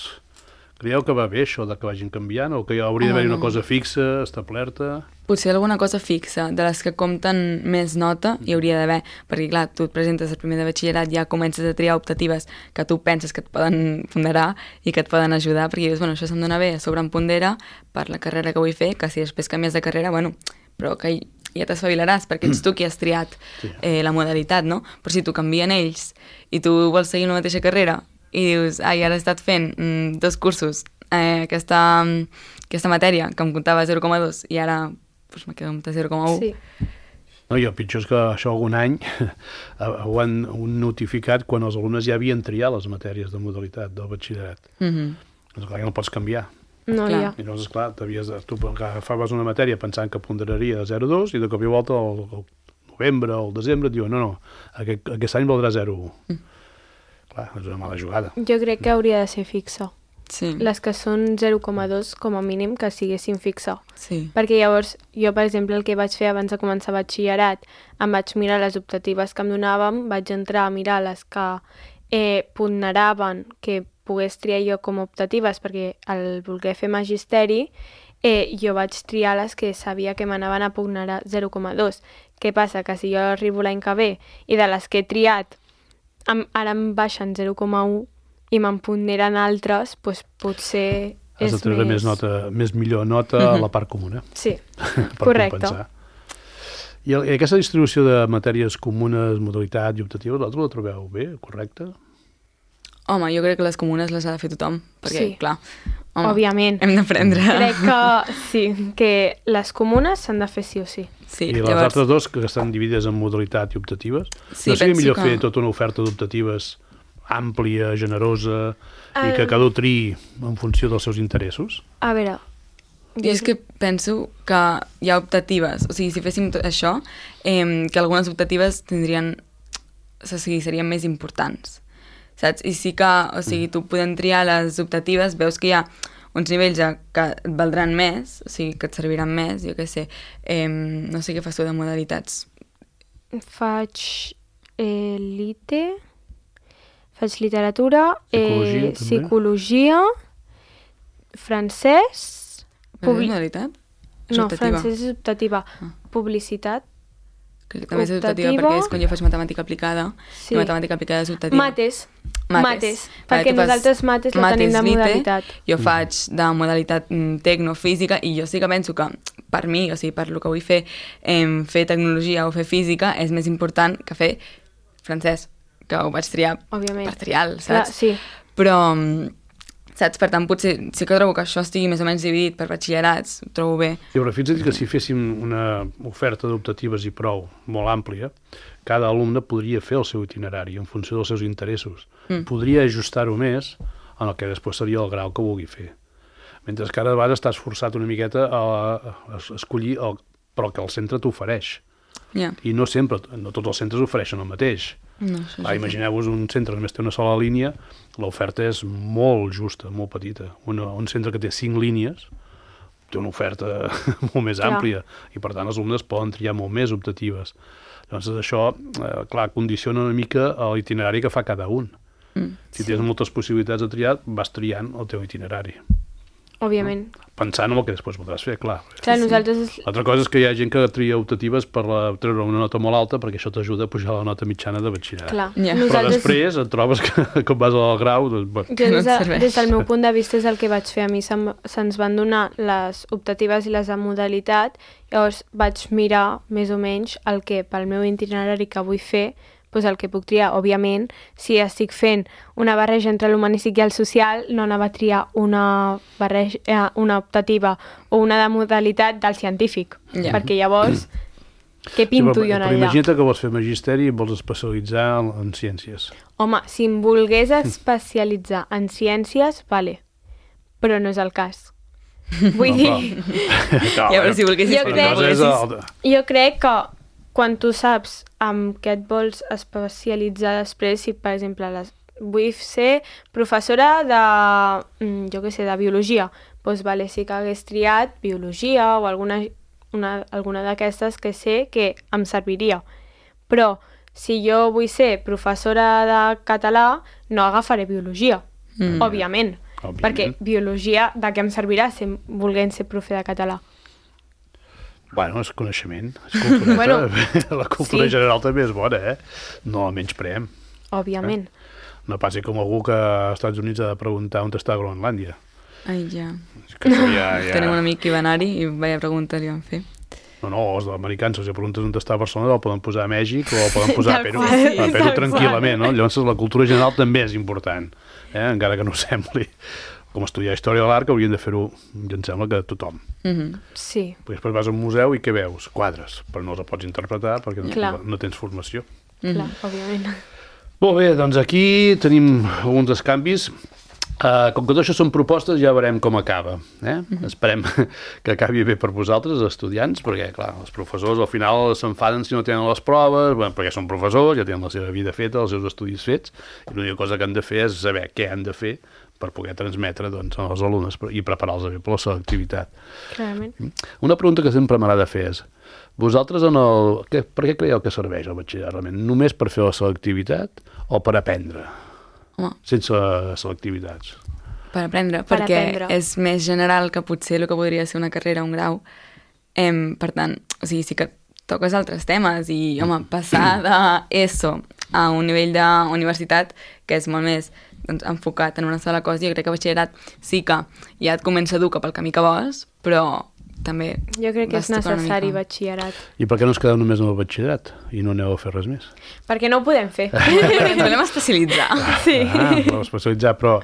Creieu que va bé això de que vagin canviant o que hi hauria d'haver una cosa fixa, establerta? Potser alguna cosa fixa, de les que compten més nota hi hauria d'haver, perquè clar, tu et presentes el primer de batxillerat, ja comences a triar optatives que tu penses que et poden ponderar i que et poden ajudar, perquè dius, bueno, això se'm dona bé, a sobre em pondera per la carrera que vull fer, que si després canvies de carrera, bueno, però que ja t'espavilaràs, perquè ets tu qui has triat eh, la modalitat, no? Però si tu canvien ells i tu vols seguir una mateixa carrera i dius, ai, ara he estat fent mm, dos cursos, eh, aquesta, aquesta matèria que em comptava zero coma dos i ara pues, me quedo amb zero coma u. Sí. No, i el pitjor és que això algun any ho han notificat quan els alumnes ja havien triat les matèries de modalitat del batxillerat. Mm-hmm. Doncs clar que no pots canviar. No Clar. hi ha. I llavors, esclar, de, tu agafaves una matèria pensant que ponderaria zero coma dos i de cop i volta el, el novembre o el desembre et diuen no, no, aquest, aquest any valdrà zero coma un. Mm. Clar, és una mala jugada. Jo crec que hauria de ser fixa. Sí. Les que són zero coma dos, com a mínim, que siguessin fixa. Sí. Perquè llavors, jo, per exemple, el que vaig fer abans de començar batxillerat, em vaig mirar les optatives que em donàvem, vaig entrar a mirar les que eh, ponderaven que pogués triar jo com a optatives, perquè al voler fer magisteri, eh, jo vaig triar les que sabia que m'anaven a ponderar zero coma dos. Què passa? Que si jo arribo l'any que ve i de les que he triat em, ara em baixen zero coma un i me'n ponderen altres, doncs potser Has és de treure més... més, nota, més millor nota Mhm. a la part comuna. Sí, per correcte. compensar. I, el, I aquesta distribució de matèries comunes, modalitat i optatives, vosaltres la trobeu bé, correcte? Home, jo crec que les comunes les ha de fer tothom, perquè, Sí. clar, home, Òbviament. hem d'aprendre. Crec que sí, que les comunes s'han de fer sí o sí. Sí, I les llavors, altres dos, que estan dividides en modalitat i optatives, Sí, no seria penso millor que- fer tota una oferta d'optatives àmplia, generosa, i El- que cada un triï en funció dels seus interessos? A veure... jo és que penso que hi ha optatives, o sigui, si féssim tot això, eh, que algunes optatives tindrien, o sigui, serien més importants, saps? I sí que, o sigui, tu podent triar les optatives, veus que hi ha uns nivells ja que et valdran més, o sigui, que et serviran més, jo què sé, eh, no sé què fas tu de modalitats. Faig eh, lite, faig literatura, Psicologia, eh, també. psicologia, francès... Publi... Publi- modalitat? És No, optativa. francès és optativa. Ah. Publicitat, Crec que també és optativa optativa. perquè és quan jo faig matemàtica aplicada, Sí. i matemàtica aplicada és optativa. mates, Mates. mates, Vale, perquè tu fas nosaltres mates la mates, tenim de lite, modalitat. Jo faig de modalitat mm, tecnofísica i jo sí que penso que per mi, o sigui, per lo que vull fer, eh, fer tecnologia o fer física és més important que fer francès, que ho vaig triar Òbviament. per triar, saps? Clar, sí. Però, mm, saps? Per tant, potser sí que trobo que això estigui més o menys dividit per batxillerats, ho trobo bé. I però fins a dir que si féssim una oferta d'optatives i prou molt àmplia, cada alumne podria fer el seu itinerari en funció dels seus interessos. Mm. Podria ajustar-ho més en el que després seria el grau que vulgui fer. Mentre que ara de vegades estàs forçat una miqueta a, a escollir el, però que el centre t'ofereix. Ja. I no sempre, no tots els centres ofereixen el mateix. No, això Ah, sí. imagineu-vos un centre que només té una sola línia, l'oferta és molt justa, molt petita. Una, un centre que té cinc línies té una oferta molt més Clar. àmplia i per tant els alumnes poden triar molt més optatives. Llavors això, eh, clar, condiciona una mica l'itinerari que fa cada un. Mm. Si tens moltes possibilitats de triar, vas triant el teu itinerari. Òbviament. Pensant en el que després voldràs fer, clar. Clar, nosaltres... L'altra cosa és que hi ha gent que tria optatives per la, treure una nota molt alta perquè això t'ajuda a pujar la nota mitjana de batxillerat. Clar, Ja. Però nosaltres... després et trobes que quan vas al grau... Doncs, bueno, Jo Que no des, et de, serveix. des del meu punt de vista és el que vaig fer. A mi se'm, se'ns van donar les optatives i les de modalitat, llavors vaig mirar més o menys el que pel meu itinerari que vull fer, doncs el que puc triar. Òbviament, si estic fent una barreja entre l'humanístic i el social, no anava a triar una, barreja, eh, una optativa o una de modalitat del científic, Ja. perquè llavors, què sí, pinto però, jo en però allà? imagina't que vols fer magisteri i vols especialitzar en, en ciències. Home, si em volgués especialitzar en ciències, vale, però no és el cas. Vull No, dir, Clar, Ja, però si volguessis Jo fer crec- una cosa és volguessis... el, jo crec que quan tu saps amb què et vols especialitzar després, si per exemple les, vull ser professora de, mm, jo què sé, de biologia, doncs vale, sí que hagués triat biologia o alguna, una, alguna d'aquestes que sé que em serviria. Però si jo vull ser professora de català, no agafaré biologia, Mm. òbviament, Òbviament. perquè biologia de què em servirà si volguem ser profe de català? bueno, és coneixement, és cultureta. Bueno, la cultura sí. general també és bona, eh? No la menyspreem. Òbviament. No passi com algú que als Estats Units ha de preguntar on està Groenlàndia. Ai, ja. És que això ja, ja... Tenim un amic que va anar-hi i vaya pregunta li van fer. No, no, els americans, si preguntes on està Barcelona, el poden posar a Mèxic o el poden posar a Tal Perú, qual, a sí, Perú tal tranquil·lament, no? Llavors la cultura general també és important, eh? Encara que no ho sembli. Com estudiar història de l'art, que haurien de fer-ho, ja em sembla que tothom. Mhm. Sí. Perquè després vas a un museu i què veus? Quadres, però no els pots interpretar perquè no, Clar. no tens formació. Clar, òbviament. Molt bé, doncs aquí tenim alguns dels canvis. Uh, com que tot això són propostes, ja veurem com acaba. Eh? Uh-huh. Esperem que acabi bé per vosaltres, els estudiants, perquè, clar, els professors al final s'enfaden si no tenen les proves, bueno, perquè són professors, ja tenen la seva vida feta, els seus estudis fets, i l'única cosa que han de fer és saber què han de fer per poder transmetre doncs, als alumnes i preparar-los bé per la selectivitat. Clarament. Una pregunta que sempre m'agrada fer és, vosaltres en el... Què, per què creieu que serveix el batxillerat realment? Només per fer la selectivitat o per aprendre? Home. Sense selectivitats. Per aprendre, Per perquè aprendre. és més general que potser el que podria ser una carrera, un grau. Em, per tant, o sigui, sí que toques altres temes i, home, passar d'ESO a un nivell d'universitat que és molt més doncs, enfocat en una sola cosa, jo crec que batxillerat sí que ja et comença a dur cap al camí que vols, però també... Jo crec que és vas tocant una necessari mica. batxillerat. I per què no us quedeu només amb el batxillerat i no aneu a fer res més? Perquè no ho podem fer. Perquè ens volem especialitzar. Sí. Ah, voleu especialitzar, però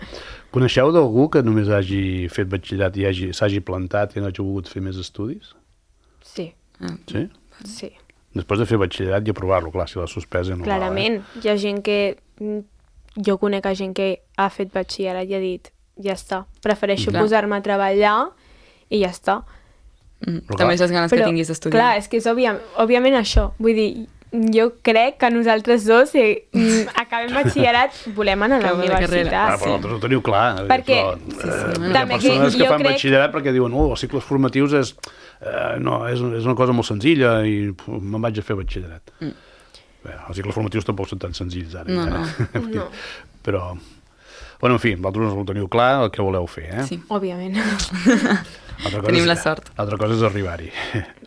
coneixeu d'algú que només hagi fet batxillerat i hagi, s'hagi plantat i no hagi volgut fer més estudis? Sí, Sí? sí. Després de fer batxillerat i aprovar-lo, clar, si l'ha suspès... No Clarament. Hi ha gent que... Jo conec a gent que ha fet batxillerat i ha dit ja està, prefereixo Clar. posar-me a treballar i ja està. Mm, Però també clar. és les ganes que tinguis d'estudiar. Clar, és que és òbvia, òbviament això. Vull dir, jo crec que nosaltres dos, si mm, acabem batxillerat, volem anar a la Acabem la carrera. Ah, universitat. però vosaltres ho teniu clar. Perquè- Però, sí, eh, sí, hi ha també persones que que jo fan crec- batxillerat perquè diuen oh, els cicles formatius és, eh, no, és, és una cosa molt senzilla i puf, me'n vaig a fer batxillerat. Mm. Bé, els cicles formatius tampoc són tan senzills ara. No, eh? No. Però, bueno, en fi, vosaltres ho teniu clar el que voleu fer, eh? Sí. Òbviament. Altra cosa Tenim és- la sort. Altra cosa és arribar-hi.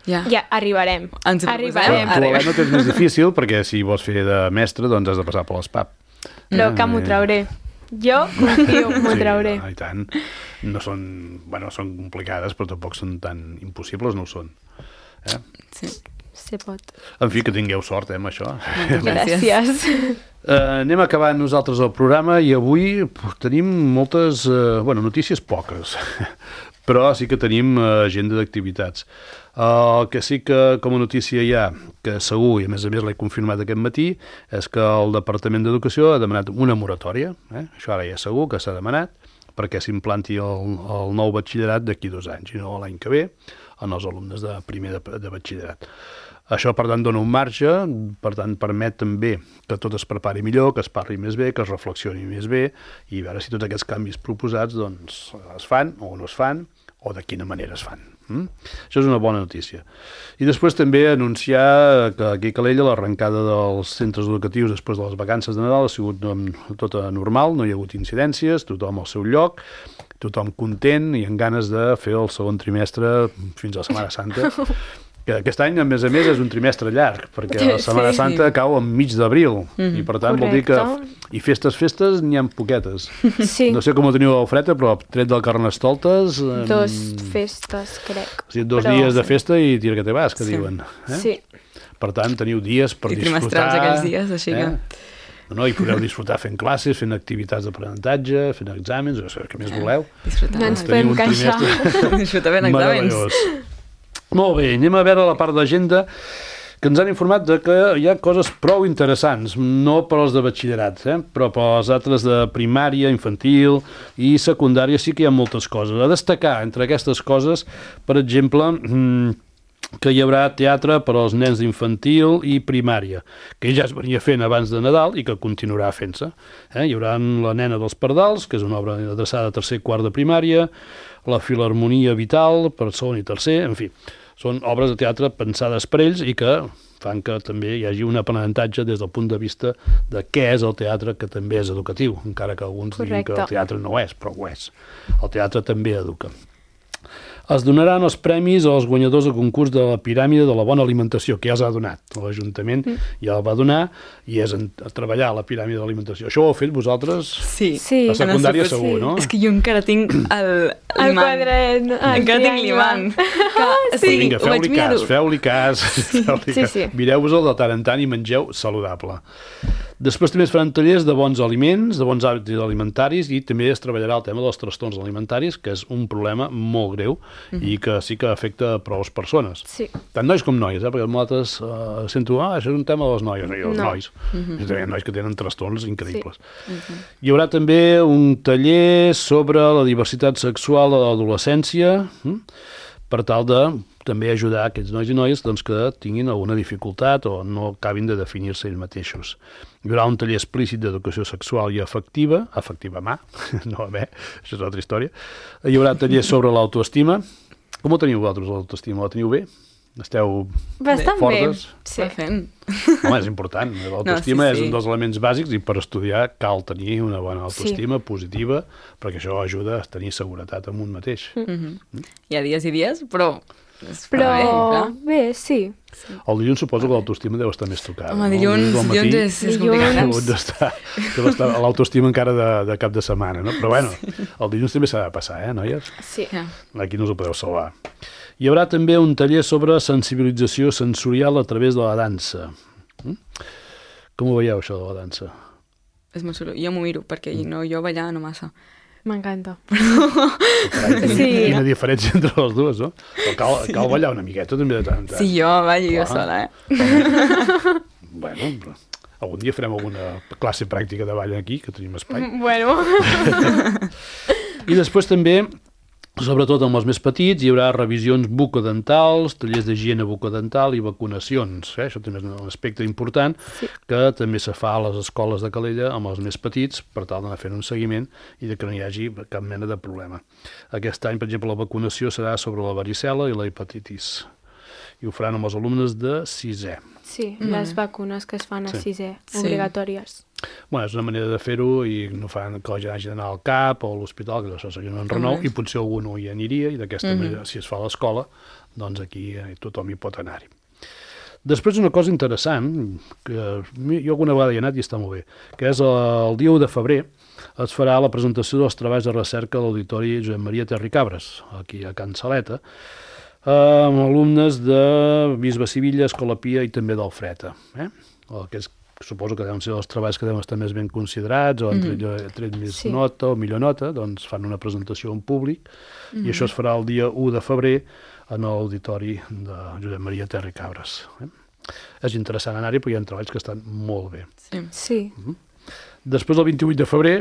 Ja. Ja, arribarem. Ens ho Arribarem. Tu Arriba. no tens més difícil perquè si vols fer de mestre doncs has de passar per l'ESPAP. Però que m'ho trauré. Jo confio, m'ho trauré. Sí, i tant. No són, bueno, són complicades, però tampoc són tan impossibles, no ho són. Eh? Sí. Se pot. En fi, que tingueu sort, eh, amb això. Gràcies. Gràcies. Uh, anem acabant nosaltres el programa i avui pues, tenim moltes, uh, bueno, notícies poques, però sí que tenim uh, agenda d'activitats. El uh, que sí que com a notícia hi ha, que segur, i a més a més l'he confirmat aquest matí, és que el Departament d'Educació ha demanat una moratòria, eh? Això ara ja segur que s'ha demanat, perquè s'implanti el, el nou batxillerat d'aquí dos anys, i no l'any que ve, en els alumnes de primer de, de batxillerat. Això, per tant, dona un marge, per tant, permet també que tot es prepari millor, que es parli més bé, que es reflexioni més bé, i veure si tots aquests canvis proposats doncs, es fan o no es fan, o de quina manera es fan. Mm? Això és una bona notícia. I després també anunciar que aquí a Calella l'arrencada dels centres educatius després de les vacances de Nadal ha sigut tota normal, no hi ha hagut incidències, tothom al seu lloc, tothom content i amb ganes de fer el segon trimestre fins a la Setmana Santa. Que aquest any, a més a més, és un trimestre llarg, perquè la Setmana Sí. Santa cau enmig d'abril, Mm-hmm. i per tant vol dir que... Correcte. I festes, festes, n'hi ha poquetes. Sí. No sé com ho teniu al Freta, però tret del Carnestoltes... em, Dos festes, crec. O sigui, dos Però- dies de festa i tira que te vas, que Sí. diuen. Eh? Sí. Per tant, teniu dies per I disfrutar... trimestrals aquells dies, així que- No, no, i podeu disfrutar fent classes, fent activitats d'aprenentatge, fent exàmens, o sigui, el que més voleu. Disfrutar. No ens Teniu podem un queixar. trimestre Disfrutar ben exàmens. meravellós. Molt bé, anem a veure la part d'agenda que ens han informat de que hi ha coses prou interessants, no per als de batxillerat, eh? però per als altres de primària, infantil i secundària sí que hi ha moltes coses. A destacar entre aquestes coses, per exemple, que hi haurà teatre per als nens d'infantil i primària, que ja es venia fent abans de Nadal i que continuarà fent-se. Eh? Hi haurà La nena dels pardals, que és una obra adreçada a tercer i quart de primària, la Filharmonia Vital per segon i tercer, en fi, són obres de teatre pensades per ells i que fan que també hi hagi un aprenentatge des del punt de vista de què és el teatre, que també és educatiu, encara que alguns diguin que el Correcte. teatre no és, però ho és. El teatre també educa. Es donaran els premis als guanyadors del concurs de la piràmide de la bona alimentació, que ja els ha donat. L'Ajuntament mm. ja el va donar i és en, a treballar a la piràmide de l'alimentació. Això ho heu fet vosaltres? Sí. Sí. A secundària En el segur, sí. no? És que jo encara tinc el El l'imant. quadret. el Encara tinc triangle. l'imant. Que, Sí, vinga, ho vaig feu-li mirar-ho. cas, feu-li cas. Feu sí, sí. Mireu-vos-el de tant en tant i mengeu saludable. Després també es faran tallers de bons aliments, de bons hàbits alimentaris, i també es treballarà el tema dels trastorns alimentaris, que és un problema molt greu mm-hmm. i que sí que afecta a prou persones. Sí. Tant nois com noies, eh? Perquè nosaltres uh, sento, ah, això és un tema de les noies, i els no. nois. Mm-hmm. Hi ha nois que tenen trastorns increïbles. Sí. Mm-hmm. Hi haurà també un taller sobre la diversitat sexual a l'adolescència, hm? per tal de també ajudar aquests nois i noies doncs, que tinguin alguna dificultat o no acabin de definir-se ells mateixos. Hi haurà un taller explícit d'educació sexual i afectiva, afectiva mà, no a bé, això és altra història. Hi haurà taller sobre l'autoestima. Com ho teniu vosaltres, l'autoestima? La teniu bé? Esteu bastant fortes? Bé, sí. Fent. Home, és important. L'autoestima no, sí, sí. és un dels elements bàsics i per estudiar cal tenir una bona autoestima sí. positiva, perquè això ajuda a tenir seguretat en un mateix. Mm-hmm. Mm? Hi ha dies i dies, però... Però bé, clar. bé sí. sí. El dilluns suposo que l'autoestima deu estar més tocada. Home, dilluns, no? dilluns, dilluns és, és complicat. Deu estar l'autoestima encara de, de cap de setmana, no? Però bueno, sí. el dilluns també s'ha de passar, eh, noies? Sí. Aquí no us ho podeu salvar. Hi haurà també un taller sobre sensibilització sensorial a través de la dansa. Mm? Com ho veieu, això de la dansa? És molt xulo. Jo m'ho miro, perquè mm. no, jo ballar no massa. M'encanta. Carai, quina, sí. quina diferència entre les dues, no? Però cal, cal ballar una miqueta també de tant en tant. Sí, jo ballo jo sola, eh? Bueno, però algun dia farem alguna classe pràctica de ball aquí, que tenim espai. Bueno. I després també, sobretot amb els més petits, hi haurà revisions bucodentals, tallers d'higiene bucodental i vacunacions. Eh? Això també és un aspecte important sí. que també se fa a les escoles de Calella amb els més petits per tal d'anar fent un seguiment i de que no hi hagi cap mena de problema. Aquest any, per exemple, la vacunació serà sobre la varicel·la i la hepatitis. I ho faran amb els alumnes de sisè. Sí, mm. les vacunes que es fan a sí. sisè, obligatòries. Sí. Bueno, és una manera de fer-ho i no fan que la gent hagi d'anar al CAP o a l'hospital, que això seria un enrenou, mm. i potser algú no hi aniria, i d'aquesta mm. manera, si es fa a l'escola, doncs aquí eh, tothom hi pot anar-hi. Després una cosa interessant, que jo alguna vegada hi he anat i està molt bé, que és el dia u de febrer es farà la presentació dels treballs de recerca a l'Auditori Josep Maria Terricabres, aquí a Can Saleta, amb alumnes de Bisbe Sivilla, Escola Pia i també del Freta, eh? El que és suposo que deuen ser els treballs que deuen estar més ben considerats o han tret, mm. tret més sí. nota o millor nota, doncs fan una presentació en públic mm. i això es farà el dia u de febrer en l'auditori de Josep Maria Terricabres. Eh? És interessant anar-hi perquè hi ha treballs que estan molt bé. Sí. sí. Mm. Després, el vint-i-vuit de febrer,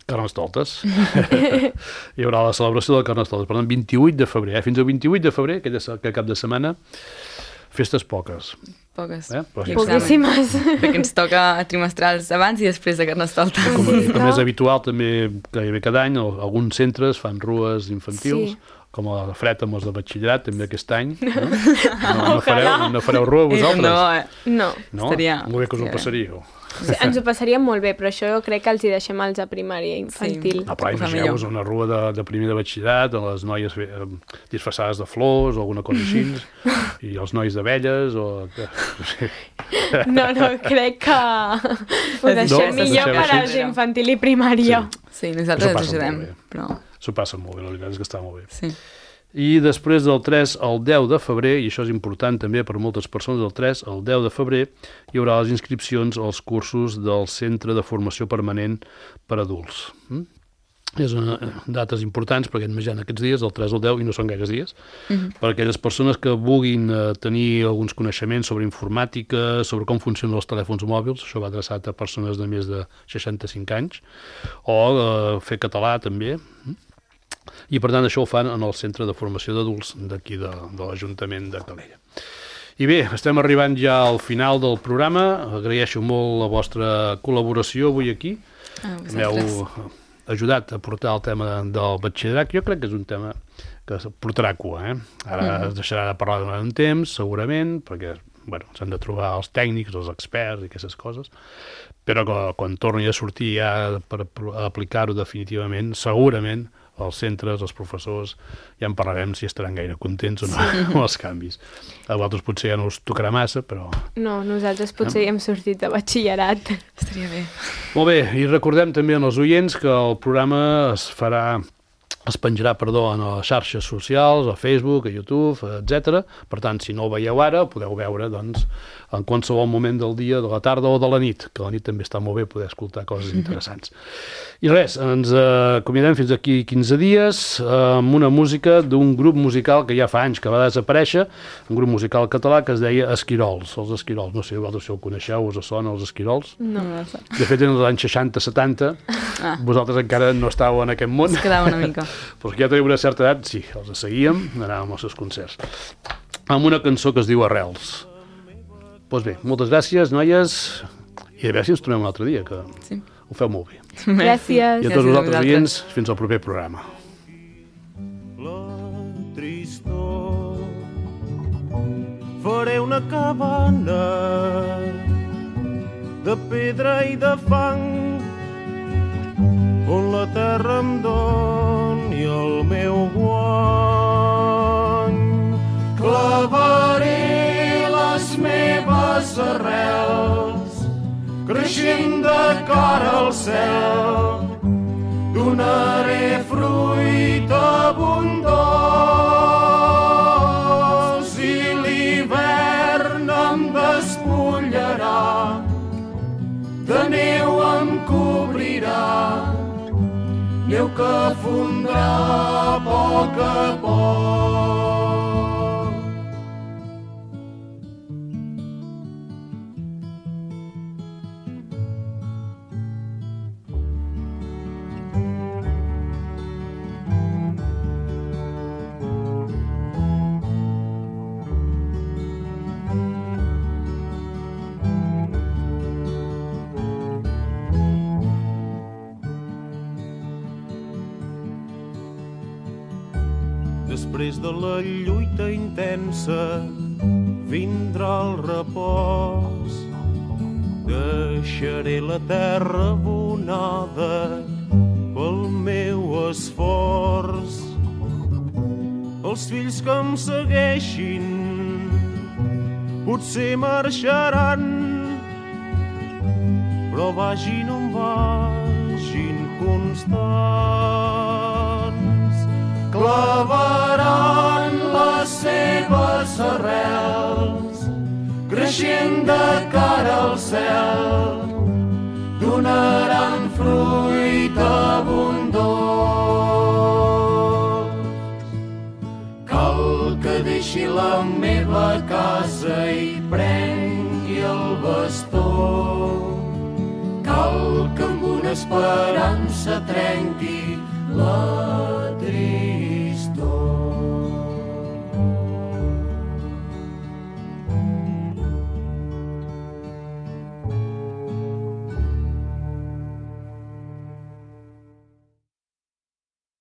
Carnestoltes. Hi haurà la celebració del Carnestoltes. Per tant, vint-i-vuit de febrer. Eh? Fins al vint-i-vuit de febrer, aquell cap de setmana, festes poques. Poques. Eh? Poquíssimes. Perquè ens toca trimestrals abans i després de Carnestoltes. Com, com és habitual, també gairebé cada any, alguns centres fan rues infantils, sí. com a Fred amb els de batxillerat, també aquest any. No, no, no, fareu, no fareu rua vosaltres? No, eh? no. no? Estaria... Molt bé que us ho passaríeu. Sí, ens ho passaríem molt bé, però això jo crec que els hi deixem als de primària infantil. Sí. Ah, però imagineu-vos una rua de, de primer de batxillerat, amb les noies eh, disfressades de flors o alguna cosa així, i els nois d'abelles, o... No, no, crec que ho deixem no, millor per als infantil i primària. Sí, sí nosaltres ens ajudem, però... S'ho passa molt bé, la veritat és que està molt bé. Sí. I després del tres al deu de febrer, i això és important també per moltes persones, del tres al deu de febrer hi haurà les inscripcions als cursos del Centre de Formació Permanent per Adults. Mm? És una, dates importants perquè més ja en aquests dies, del tres al deu, i no són gaires dies, mm-hmm. per aquelles persones que vulguin eh, tenir alguns coneixements sobre informàtica, sobre com funcionen els telèfons mòbils, això va adreçat a persones de més de seixanta-cinc anys, o eh, fer català també, mm? i per tant això ho fan en el Centre de Formació d'Adults d'aquí de, de l'Ajuntament de Calella. I bé, estem arribant ja al final del programa, agraeixo molt la vostra col·laboració avui aquí, ah, m'heu ajudat a portar el tema del batxillerat, jo crec que és un tema que portarà cua, eh? Ara mm. es deixarà de parlar durant un temps, segurament, perquè bueno, s'han de trobar els tècnics, els experts i aquestes coses, però que, quan torni a sortir ja per aplicar-ho definitivament, segurament els centres, els professors, ja en parlarem si estaran gaire contents o no sí. amb els canvis. A vosaltres potser ja no us tocarà massa, però... No, nosaltres potser ja hem sortit de batxillerat. Estaria bé. Molt bé, i recordem també als oients que el programa es farà es penjarà, perdó, en les xarxes socials, a Facebook, a YouTube, etcètera. Per tant, si no el veieu ara, podeu veure, doncs, en qualsevol moment del dia, de la tarda o de la nit, que la nit també està molt bé poder escoltar coses interessants. I res, ens acomiadem fins aquí quinze dies amb una música d'un grup musical que ja fa anys que va desaparèixer, un grup musical català que es deia Esquirols, els Esquirols. No sé, vosaltres si el coneixeu, us sona els Esquirols? No. De fet, en els anys seixanta setanta, ah. vosaltres encara no estàveu en aquest món. Es quedava una mica. Però que ja teniu una certa edat, sí, els seguíem, anàvem als seus concerts. Amb una cançó que es diu Arrels. Doncs bé, moltes gràcies, noies, i a veure si ens trobem un altre dia, que sí. ho feu molt bé. Gràcies. I a tots vosaltres oients, fins al proper programa. La tristor, faré una cabana de pedra i de fang on la terra em doni el meu guany. Clavaré les meves arrels creixent de cara al cel, donaré fruit abundós i l'hivern em despullarà, de neu em cobrirà, neu que fondrà a poc a poc. Després de la lluita intensa vindrà el repòs. Deixaré la terra abonada pel meu esforç. Els fills que em segueixin potser marxaran, però vagin on vagin constants. Clavaran les seves arrels creixent de cara al cel, donaran fruit abundós. Cal que deixi la meva casa i prengui el bastó, cal que amb una esperança trenqui la tristesa.